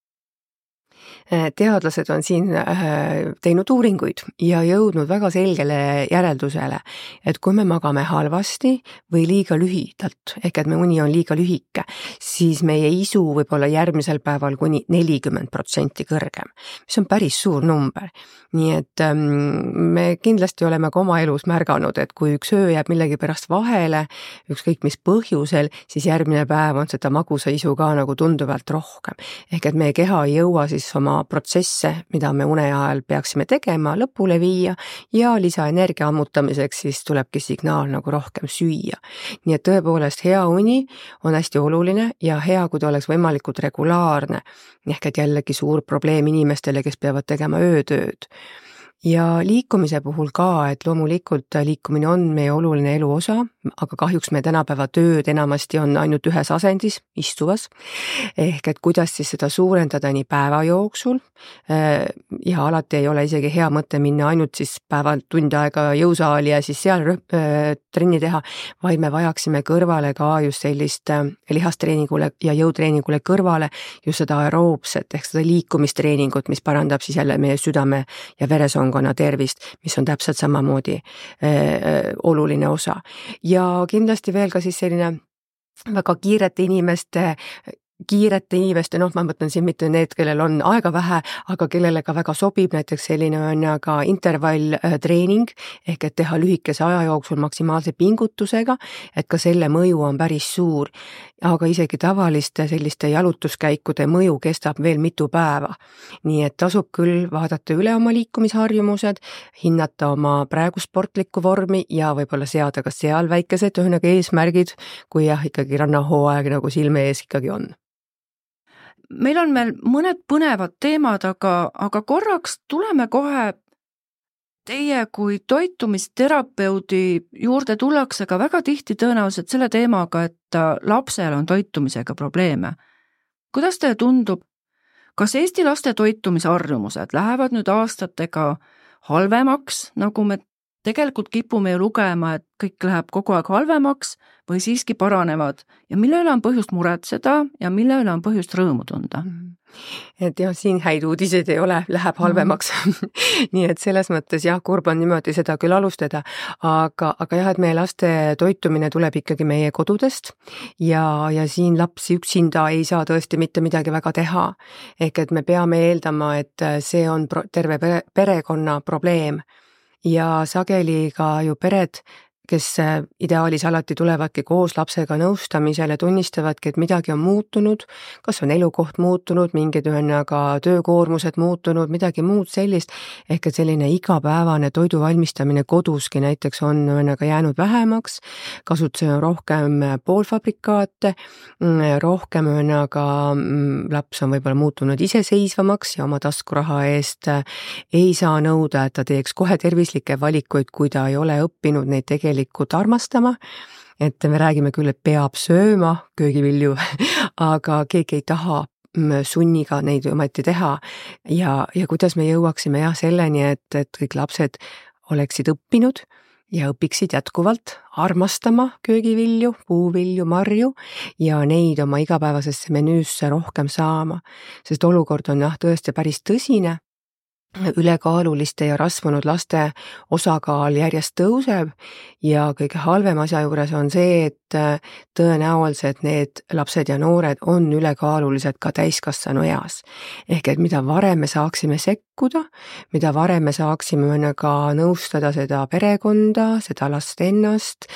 Teadlased on siin teinud uuringuid ja jõudnud väga selgele järeldusele, et kui me magame halvasti või liiga lühidalt, ehk et me uni on liiga lühike, siis meie isu võib olla järgmisel päeval kuni 40% kõrgem, mis on päris suur number. Nii et me kindlasti oleme ka oma elus märganud, et kui üks öö jääb millegi pärast vahele, ükskõik mis põhjusel, siis järgmine päev on seda magusa isu ka nagu tunduvalt rohkem. Ehk et meie keha ei jõua siis oma protsesse, mida me une ajal peaksime tegema, lõpule viia ja lisaenergia ammutamiseks siis tulebki signaal nagu rohkem süüa. Nii et tõepoolest hea uni on hästi oluline ja hea, kui ta oleks võimalikult regulaarne, ehk et jällegi suur probleem inimestele, kes peavad tegema öötööd. Ja liikumise puhul ka, et loomulikult liikumine on meie oluline elu osa, aga kahjuks me tänapäeva tööd enamasti on ainult ühes asendis, istuvas, ehk et kuidas siis seda suurendada nii päeva jooksul ja alati ei ole isegi hea mõte minna ainult siis päeval tund aega jõusaali ja siis seal trenni teha, vaid me vajaksime kõrvale ka just sellist lihastreeningule ja jõutreeningule kõrvale just seda aeroobset ehk seda liikumistreeningut, mis parandab siis jälle meie südame ja veresoonkonna tervist, mis on täpselt samamoodi oluline osa. Ja kindlasti veel ka siis selline väga kiirete inimeste, ma mõtlen siin mitte need, kellel on aega vähe, aga kellele ka väga sobib näiteks selline on ka intervalltreening, ehk et teha lühikese aja jooksul maksimaalse pingutusega, et ka selle mõju on päris suur, aga isegi tavaliste selliste jalutuskäikude mõju kestab veel mitu päeva. Nii et tasub küll vaadata üle oma liikumisharjumused, hinnata oma praegu sportlikku vormi ja võib-olla seada ka seal väikesed ühesõnaga eesmärgid, kui ikkagi rannahooaeg nagu silme ees ikkagi on. Meil on veel mõned põnevad teemad, aga korraks tuleme kohe teie kui toitumisterapeudi juurde tullakse ka väga tihti tõenäoliselt selle teemaga, et lapsel on toitumisega probleeme. Kuidas teile tundub, kas Eesti laste toitumisharjumused lähevad nüüd aastatega halvemaks, nagu me tegelikult kipume ju lugema, et kõik läheb kogu aeg halvemaks või siiski paranevad ja mille üle on põhjust muretseda ja mille üle on põhjust rõõmu tunda? Et jah, siin häid uudiseid ei ole, läheb halvemaks. Nii et selles mõttes jah, kurb on niimoodi seda küll alustada, aga jah, et meie laste toitumine tuleb ikkagi meie kodudest ja siin lapsi üksinda ei saa tõesti mitte midagi väga teha. Ehk et me peame eeldama, et see on terve perekonna probleem. Ja sageli ka ju pered, kes ideaalis alati tulevadki koos lapsega nõustamisele, tunnistavadki, et midagi on muutunud, kas on elukoht muutunud, mingid töökoormused muutunud, midagi muud sellist, ehk et selline igapäevane toidu valmistamine koduski näiteks on jäänud vähemaks, kasutusel on rohkem poolfabrikaate, rohkem laps on võib-olla muutunud iseseisvamaks ja oma taskuraha eest ei saa nõuda, et ta teeks kohe tervislikke valikuid, kui ta ei ole õppinud neid tegelikult armastama, et me räägime küll, et peab sööma köögivilju, aga keegi ei taha sunniga neid ometi teha ja kuidas me jõuaksime selleni, et kõik lapsed oleksid õppinud ja õpiksid jätkuvalt armastama köögivilju, puuvilju, marju ja neid oma igapäevasesse menüüsse rohkem saama, sest olukord on tõesti päris tõsine. Ülekaaluliste ja rasvunud laste osakaal järjest tõuseb ja kõige halvem asja juures on see, et tõenäoliselt need lapsed ja noored on ülekaalulised ka täiskasvanu eas. Ehk et mida varem me saaksime sekkuda, mida varem me saaksime ka nõustada seda perekonda, seda last ennast,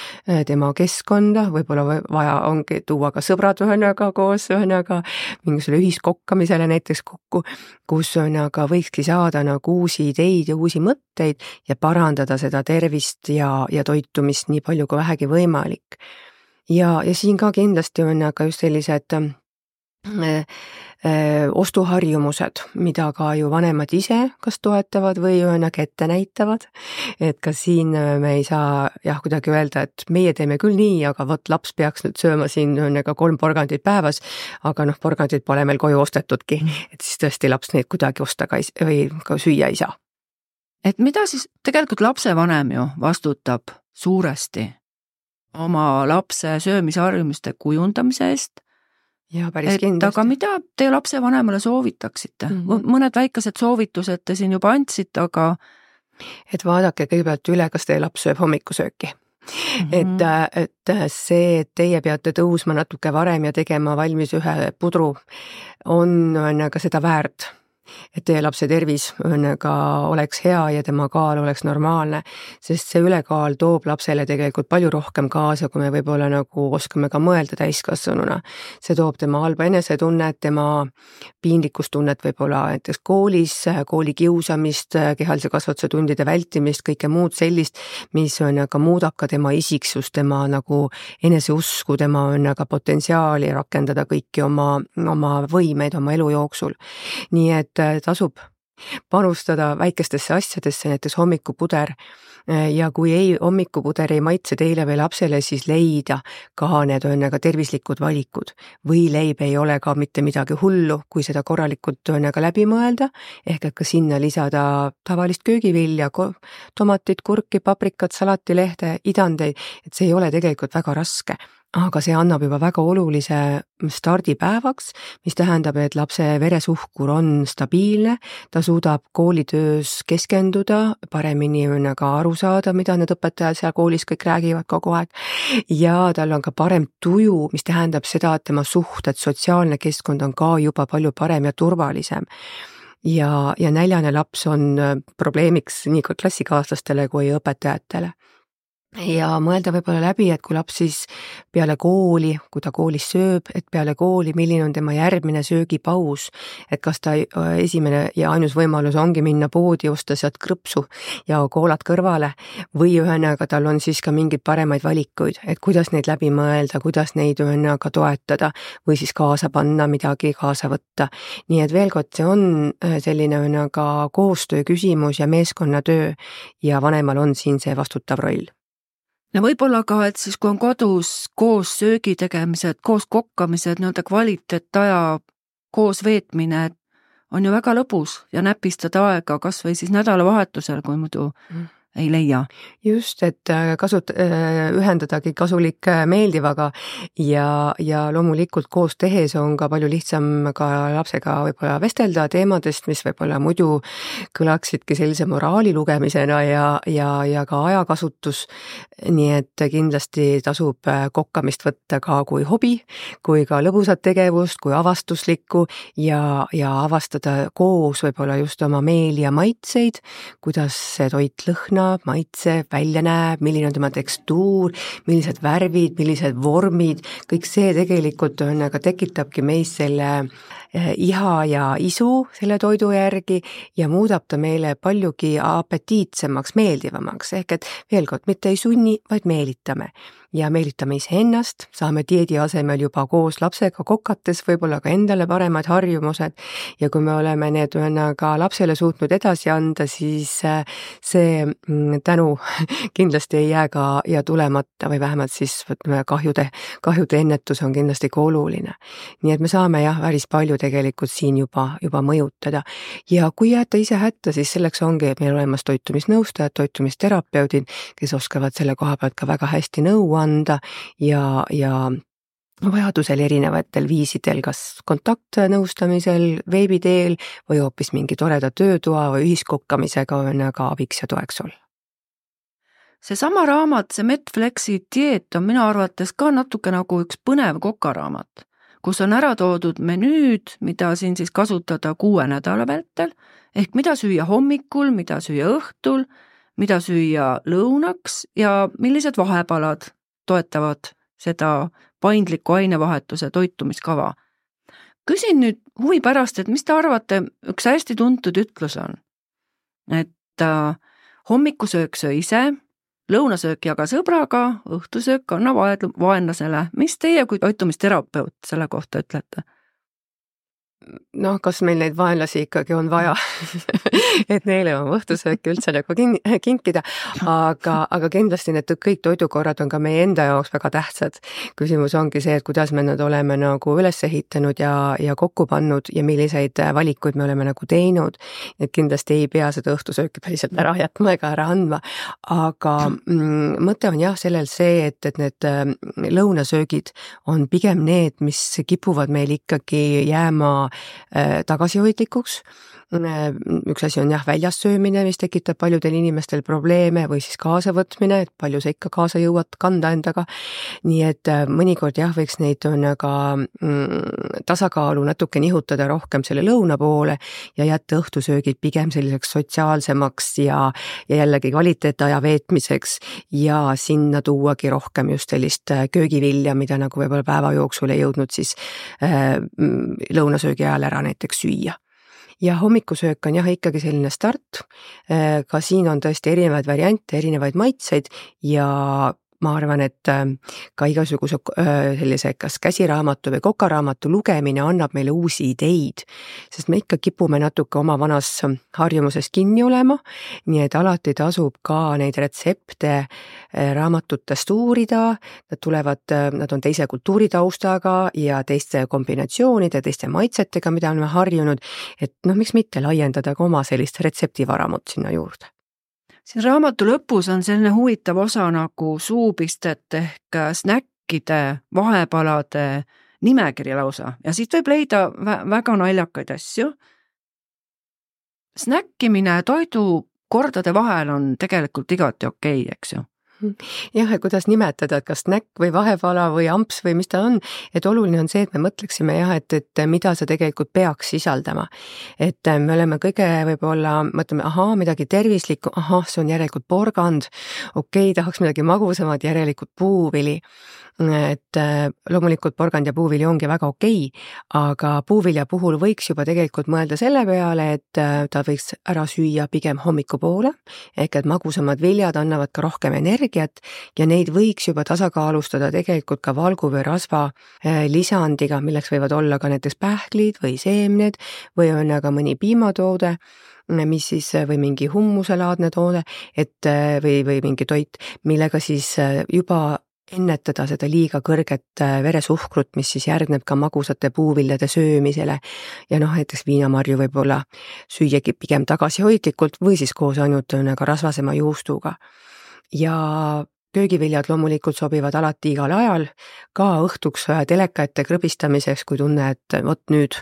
tema keskkonda, võib-olla vaja ongi tuua ka sõbrad koos mingisugusele ühiskokkamisele näiteks kokku, kus võikski saada uusi ideid ja uusi mõtteid ja parandada seda tervist ja toitumist nii palju kui vähegi võimalik. Ja siin ka kindlasti on just sellised ostuharjumused, mida ka ju vanemad ise kas toetavad või ette näitavad, et ka siin me ei saa kuidagi öelda, et meie teeme küll nii, aga vot laps peaks nüüd sööma siin 3 porgandit päevas, aga porgandid pole meil koju ostetudki, et siis tõesti laps neid kuidagi osta või ka süüa ei saa. Et mida siis tegelikult lapsevanem ju vastutab suuresti oma lapse söömisharjumuste kujundamise eest, ja päris kindlasti. Aga mida te lapsevanemale soovitaksite? Mõned väikesed soovitused te siin juba andsite, aga et vaadake kõigepealt üle, kas teie laps sööb hommikusööki. Et see, et teie peate tõusma natuke varem ja tegema valmis ühe pudru, on ka seda väärt. Et teie lapse tervis oleks hea ja tema kaal oleks normaalne, sest see ülekaal toob lapsele tegelikult palju rohkem kaasa, kui me võib-olla oskame ka mõelda täiskasvanuna. See toob tema halba enesetunnet, tema piinlikkustunnet võib-olla näiteks koolis, kooli kiusamist, kehalise kasvatuse tundide vältimist, kõike muud sellist, mis muudab ka tema isiksust, tema eneseusku, tema potentsiaali rakendada kõiki oma võimeid oma elu jooksul. Nii et tasub panustada väikestesse asjadesse, näiteks hommikupuder ja kui hommikupuder ei maitse teile või lapsele, siis leida ka need tervislikud valikud või leib ei ole ka mitte midagi hullu, kui seda korralikult läbi mõelda, ehk et ka sinna lisada tavalist köögivilja, tomatit, kurki, paprikat, salatilehte, idandeid, et see ei ole tegelikult väga raske. Aga see annab juba väga olulise stardipäevaks, mis tähendab, et lapse veresuhkur on stabiilne, ta suudab koolitöös keskenduda, paremini ka aru saada, mida need õpetajad seal koolis kõik räägivad kogu aeg ja tal on ka parem tuju, mis tähendab seda, et tema suhted, sotsiaalne keskkond on ka juba palju parem ja turvalisem. Ja näljane laps on probleemiks nii ka klassikaaslastele kui õpetajatele. Ja mõelda võib-olla läbi, et kui laps siis peale kooli, kui ta koolis sööb, et peale kooli, milline on tema järgmine söögipaus, et kas ta esimene ja ainus võimalus ongi minna poodi, osta sealt krõpsu ja koolad kõrvale või tal on siis ka mingeid paremaid valikuid, et kuidas neid läbi mõelda, kuidas neid ka toetada või siis kaasa panna, midagi kaasa võtta. Nii et veel kord, see on selline ka koostöö küsimus ja meeskonnatöö ja vanemal on siin see vastutav roll. Ja võib-olla ka, et siis kui on kodus koos söögi tegemised, koos kokkamised, kvaliteetaja koos veetmine, on ju väga lõbus ja näpistada aega kas või siis nädalavahetusel, kui muidu ei leia. Just, et ühendadagi kasulik meeldivaga ja loomulikult koos tehes on ka palju lihtsam ka lapsega võib-olla vestelda teemadest, mis võib-olla muidu kõlaksidki sellise moraali lugemisena ja ka ajakasutus. Nii et kindlasti tasub kokkamist võtta ka kui hobi, kui ka lõbusat tegevust, kui avastuslikku ja avastada koos võib-olla just oma meeli ja maitseid, kuidas see toit lõhnab, kannab, maitseb, välja näeb, milline on tema tekstuur, millised värvid, millised vormid, kõik see tegelikult tekitabki meis selle iha ja isu selle toidu järgi ja muudab ta meile paljugi apetiitsemaks, meeldivamaks, ehk et veel kord, mitte ei sunni, vaid meelitame. Ja meelitame iseennast, saame dieedi asemel juba koos lapsega kokates võib-olla ka endale paremad harjumused ja kui me oleme need ka lapsele suutnud edasi anda, siis see tänu kindlasti ei jää ka ja tulemata või vähemalt siis kahjude ennetus on kindlasti ka oluline. Nii et me saame päris palju tegelikult siin juba mõjutada ja kui jääte ise hätta, siis selleks ongi meil olemas toitumisnõustajad, toitumisterapeudid, kes oskavad selle koha pealt ka väga hästi nõu anda ja vajadusel erinevatel viisidel, kas kontaktnõustamisel, veebiteel või hoopis mingi toreda töötoa või ühiskokkamisega on ka abiks ja toeks olla. Seesama raamat, see Medflexi dieet on minu arvates ka natuke nagu üks põnev kokaraamat, kus on ära toodud menüüd, mida siin siis kasutada 6 nädala vältel, ehk mida süüa hommikul, mida süüa õhtul, mida süüa lõunaks ja millised vahepalad toetavad seda paindliku ainevahetuse toitumiskava. Küsin nüüd huvi pärast, et mis te arvate, üks hästi tuntud ütlus on, et hommikusöök söö ise, lõunasöök jaga sõbraga, õhtusöök anna vaenlasele. Mis teie kui toitumisterapeut selle kohta ütlete? Noh, kas meil neid vaenlasi ikkagi on vaja, et neile on õhtusööki üldse nagu kinkida, aga kindlasti need kõik toidukorrad on ka meie enda jaoks väga tähtsad. Küsimus ongi see, et kuidas me nad oleme nagu üles ehitanud ja kokku pannud ja milliseid valikuid me oleme nagu teinud. Et kindlasti ei pea seda õhtusööki päriselt ära jätma ega ära andma, aga mõte on sellel see, et need lõunasöögid on pigem need, mis kipuvad meil ikkagi jääma tagasihoidlikuks. Üks asi on väljas söömine, mis tekitab paljudel inimestel probleeme või siis kaasavõtmine, et palju sa ikka kaasa jõuad kanda endaga. Nii et mõnikord võiks neid ka tasakaalu natuke nihutada rohkem selle lõuna poole ja jätta õhtusöögid pigem selliseks sotsiaalsemaks ja jällegi kvaliteetaja veetmiseks ja sinna tuuagi rohkem just sellist köögivilja, mida nagu võib-olla päeva jooksul ei jõudnud siis lõunasöögi ajal ära näiteks süüa. Ja hommikusöök on ikkagi selline start, ka siin on tõesti erinevaid variante, erinevaid maitseid ja ma arvan, et ka igasuguse sellise kas käsiraamatu või kokaraamatu lugemine annab meile uusi ideid, sest me ikka kipume natuke oma vanas harjumuses kinni olema, nii et alati tasub ka neid retsepte raamatutest uurida, nad on teise kultuuritaustaga ja teiste kombinatsioonide, teiste maitsetega, mida oleme harjunud, et miks mitte laiendada ka oma sellist retseptivaramut sinna juurde. Siin raamatu lõpus on selline huvitav osa nagu suupistet ehk snäkkide, vahepalade nimekiri lausa ja siit võib leida väga naljakaid asju. Snäkkimine toidukordade vahel on tegelikult igati okei, eks ju? Ja kuidas nimetada, et kas snäkk või vahepala või amps või mis ta on, et oluline on see, et me mõtleksime et mida see tegelikult peaks sisaldama. Et me oleme kõige võib-olla, mõtleme, midagi tervislikku, see on järelikult porgand, tahaks midagi magusamat, järelikult puuvili. Et loomulikult porgand ja puuvili ongi väga okei, aga puuvilja puhul võiks juba tegelikult mõelda selle peale, et ta võiks ära süüa pigem hommikupoole, ehk et magusamad viljad annavad ka rohkem energiat ja neid võiks juba tasakaalustada tegelikult ka valgu või rasva lisandiga, milleks võivad olla ka näiteks pähklid või seemned või on aga mõni piimatoode, mis siis või mingi hummuselaadne toode, või mingi toit, millega siis juba ennetada seda liiga kõrget veresuhkrut, mis siis järgneb ka magusate puuviljade söömisele ja näiteks viinamarju võib-olla süüagi pigem tagasihoidlikult või siis koos ainult rasvasema juustuga. Ja köögiviljad loomulikult sobivad alati igal ajal, ka õhtuks teleka ette krõbistamiseks, kui tunne, et nüüd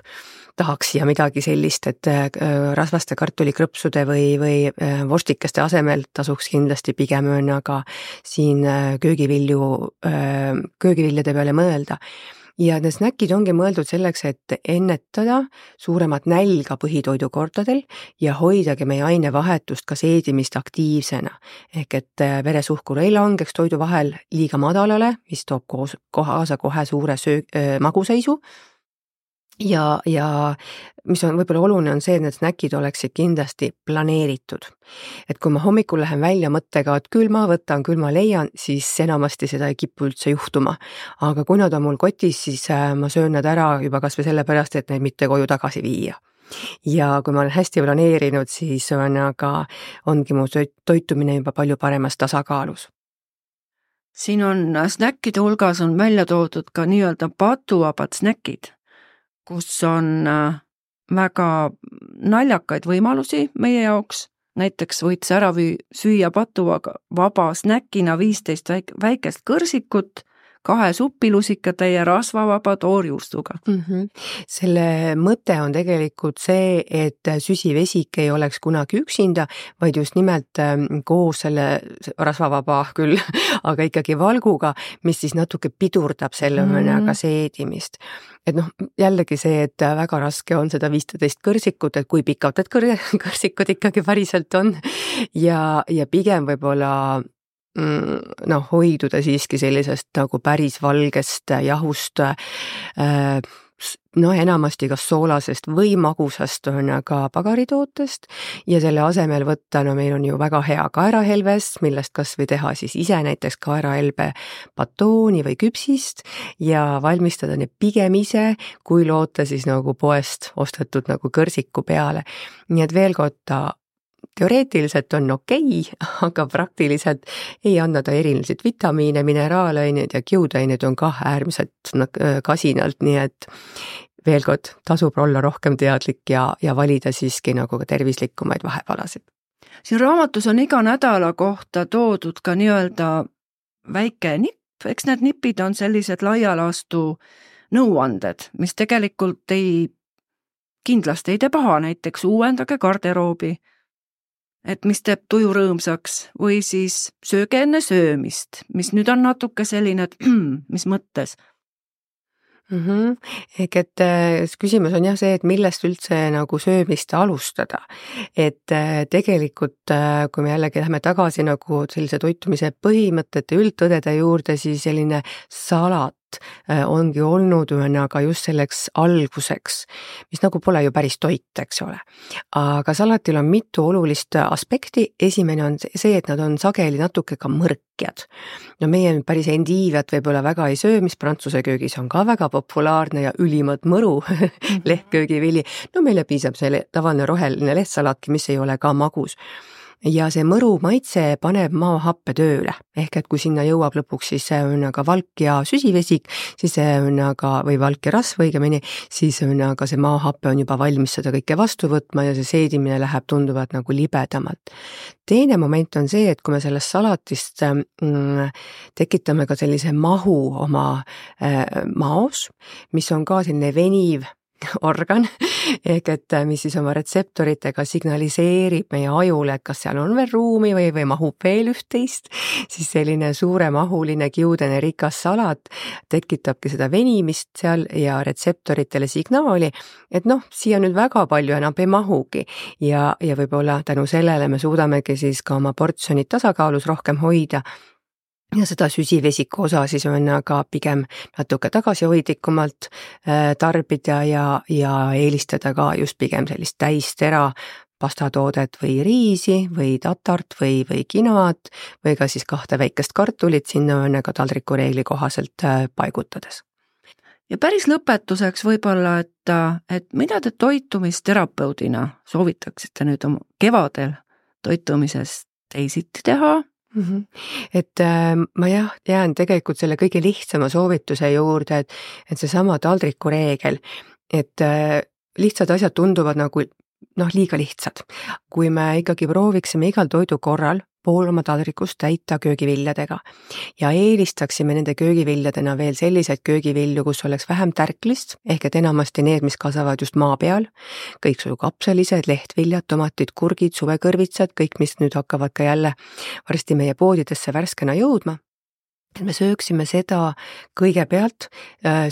tahaks siia midagi sellist, et rasvaste kartulikrõpsude või vorstikeste asemel tasuks kindlasti pigem aga siin köögiviljade peale mõelda. ja need snäkid ongi mõeldud selleks, et ennetada suuremat nälga põhitoidukordadel ja hoidagi meie ainevahetust ka seedimist aktiivsena. Ehk et veresuhkur ei langeks toidu vahel liiga madalale, mis toob kaasa kohe suure maguseisu. Ja mis on võib-olla oluline on see, et need snäkid oleksid kindlasti planeeritud. Et kui ma hommikul lähen välja mõttega, et küll ma võtan, küll ma leian, siis enamasti seda ei kipu üldse juhtuma. Aga kui nad on mul kotis, siis ma söön nad ära juba kas või sellepärast, et neid mitte koju tagasi viia. Ja kui ma olen hästi planeerinud, siis ongi mu toitumine juba palju paremas tasakaalus. Siin on snäkkide hulgas on välja toodud ka nii-öelda patuvabad snäkid, kus on väga naljakaid võimalusi meie jaoks. Näiteks võid ära süüa patuvaba snäkina 15 väikest kõrsikut, 2 suppilusikatäie rasvavaba toorjuustuga. Selle mõte on tegelikult see, et süsivesik ei oleks kunagi üksinda, vaid just nimelt koos selle rasvavaba küll, aga ikkagi valguga, mis siis natuke pidurdab selle mõnega seedimist. Et jällegi see, et väga raske on seda 15 kõrsikut, et kui pikad need kõrsikud ikkagi päriselt on ja pigem võib-olla hoiduda siiski sellisest nagu päris valgest jahust, enamasti kas soolasest või magusast ka pagaritootest ja selle asemel võtta, meil on ju väga hea kaerahelves, millest kas või teha siis ise näiteks kaerahelbe batooni või küpsist ja valmistada need pigem ise, kui loota siis nagu poest ostetud nagu kõrsiku peale. Nii et veel kord teoreetiliselt on okei, aga praktiliselt ei anna ta erinevaid vitamiine, mineraalaineid ja kiudaineid on ka äärmiselt kasinalt, nii et veel kord tasub olla rohkem teadlik ja valida siiski nagu ka tervislikumaid vahepalasid. Siin raamatus on iga nädala kohta toodud ka nii-öelda väike nipp, eks need nipid on sellised laialastu nõuanded, mis tegelikult kindlasti ei tee paha, näiteks uuendage garderoobi, et mis teeb tuju rõõmsaks või siis sööge enne söömist, mis nüüd on natuke selline, et mis mõttes. Ehk et küsimus on see, et millest üldse nagu söömist alustada. Et tegelikult, kui me jällegi läheme tagasi nagu sellise toitumise põhimõtete üldtõdede juurde, siis selline salat ongi olnud aga just selleks alguseks, mis nagu pole ju päris toit, eks ole. Aga salatil on mitu olulist aspekti. Esimene on see, et nad on sageli natuke ka mõrkjad. Meie päris endiiviat võib-olla väga ei söö, mis prantsuse köögis on ka väga populaarne ja ülimalt mõru lehtköögivili. Meile piisab selle tavaline roheline lehtsalatki, mis ei ole ka magus. Ja see mõru maitse paneb maahappe tööle, ehk et kui sinna jõuab lõpuks siis valk ja süsivesik, siis või valk ja rasv õigemini, siis see maahappe on juba valmis seda kõike vastu võtma ja see seedimine läheb tunduvalt nagu libedamalt. Teine moment on see, et kui me sellest salatist tekitame ka sellise mahu oma maos, mis on ka selline veniv organ, ehk et mis siis oma retseptoritega signaliseerib meie ajule, et kas seal on veel ruumi või mahub veel üht-teist, siis selline suuremahuline kiudene rikas salat tekitabki seda venimist seal ja retseptoritele signaali, et siia nüüd väga palju enam ei mahugi ja võib-olla tänu sellele me suudamegi siis ka oma portsjonid tasakaalus rohkem hoida. Ja seda süsivesiku osa siis on aga pigem natuke tagasihoidlikumalt tarbida ja eelistada ka just pigem sellist täistera pastatoodet või riisi või tatart või kinoat või ka siis 2 väikest kartulit sinna ka taldrikureegli kohaselt paigutades. Ja päris lõpetuseks võib-olla, et mida te toitumisterapeudina soovitaksite nüüd oma kevadel toitumisest teisiti teha? Et ma jään tegelikult selle kõige lihtsama soovituse juurde, et seesama taldrikureegel, et lihtsad asjad tunduvad nagu liiga lihtsad. Kui me ikkagi prooviksime igal toidu korral pool oma taldrikust täita köögiviljadega ja eelistaksime nende köögiviljadena veel selliseid köögivilju, kus oleks vähem tärklist, ehk et enamasti need, mis kasvavad just maa peal, kõiksugu kapsalised, lehtviljad, tomatid, kurgid, suvekõrvitsad, kõik, mis nüüd hakkavad ka jälle varsti meie poodidesse värskena jõudma. me sööksime seda kõigepealt,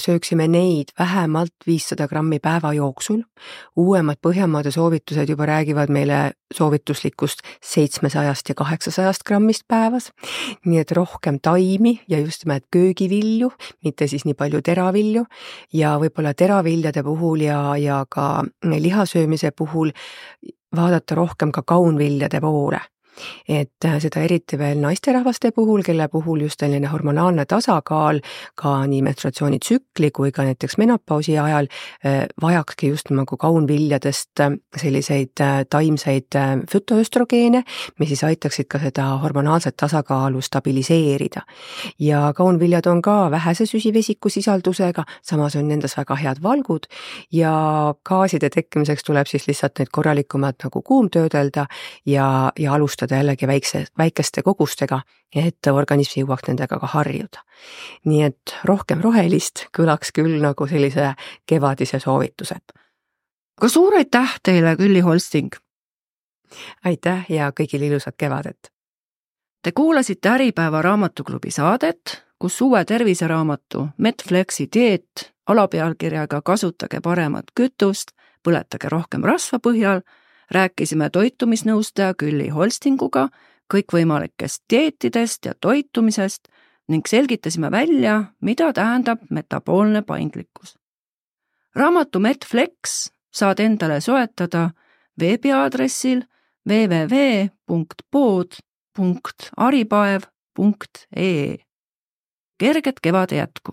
sööksime neid vähemalt 500 grammi päeva jooksul. Uuemad Põhjamaade soovitused juba räägivad meile soovituslikust 700 ja 800 grammist päevas, nii et rohkem taimi ja just nimelt köögivilju, mitte siis nii palju teravilju ja võib-olla teraviljade puhul ja ka lihasöömise puhul vaadata rohkem ka kaunviljade poole. Et seda eriti veel naisterahvaste puhul, kelle puhul just selline hormonaalne tasakaal ka nii menstruatsioonitsükli kui ka näiteks menopausi ajal vajakski just nagu kaunviljadest selliseid taimseid fütoöstrogeene, mis siis aitaksid ka seda hormonaalset tasakaalu stabiliseerida. Ja kaunviljad on ka vähese süsivesiku sisaldusega, samas on nendes väga head valgud ja gaaside tekkimiseks tuleb siis lihtsalt neid korralikumalt nagu kuumtöödelda ja alustada jällegi väikeste kogustega, et organism jõuaks nendega ka harjuda. Nii et rohkem rohelist kõlaks küll nagu sellise kevadise soovituse. Ka suur aitäh teile, Külli Holsting! Aitäh ja kõigil ilusat kevadet! Te kuulasite Äripäeva raamatuklubi saadet, kus uue terviseraamatu Medflexi dieet alapealkirjaga Kasutage paremat kütust, põletage rohkem rasva põhjal rääkisime toitumisnõustaja Külli Holstinguga kõikvõimalikest dieetidest ja toitumisest ning selgitasime välja, mida tähendab metaboolne paindlikkus. Raamatu Medflex saad endale soetada veebiaadressil www.pod.aripaev.ee. Kerget kevade jätku!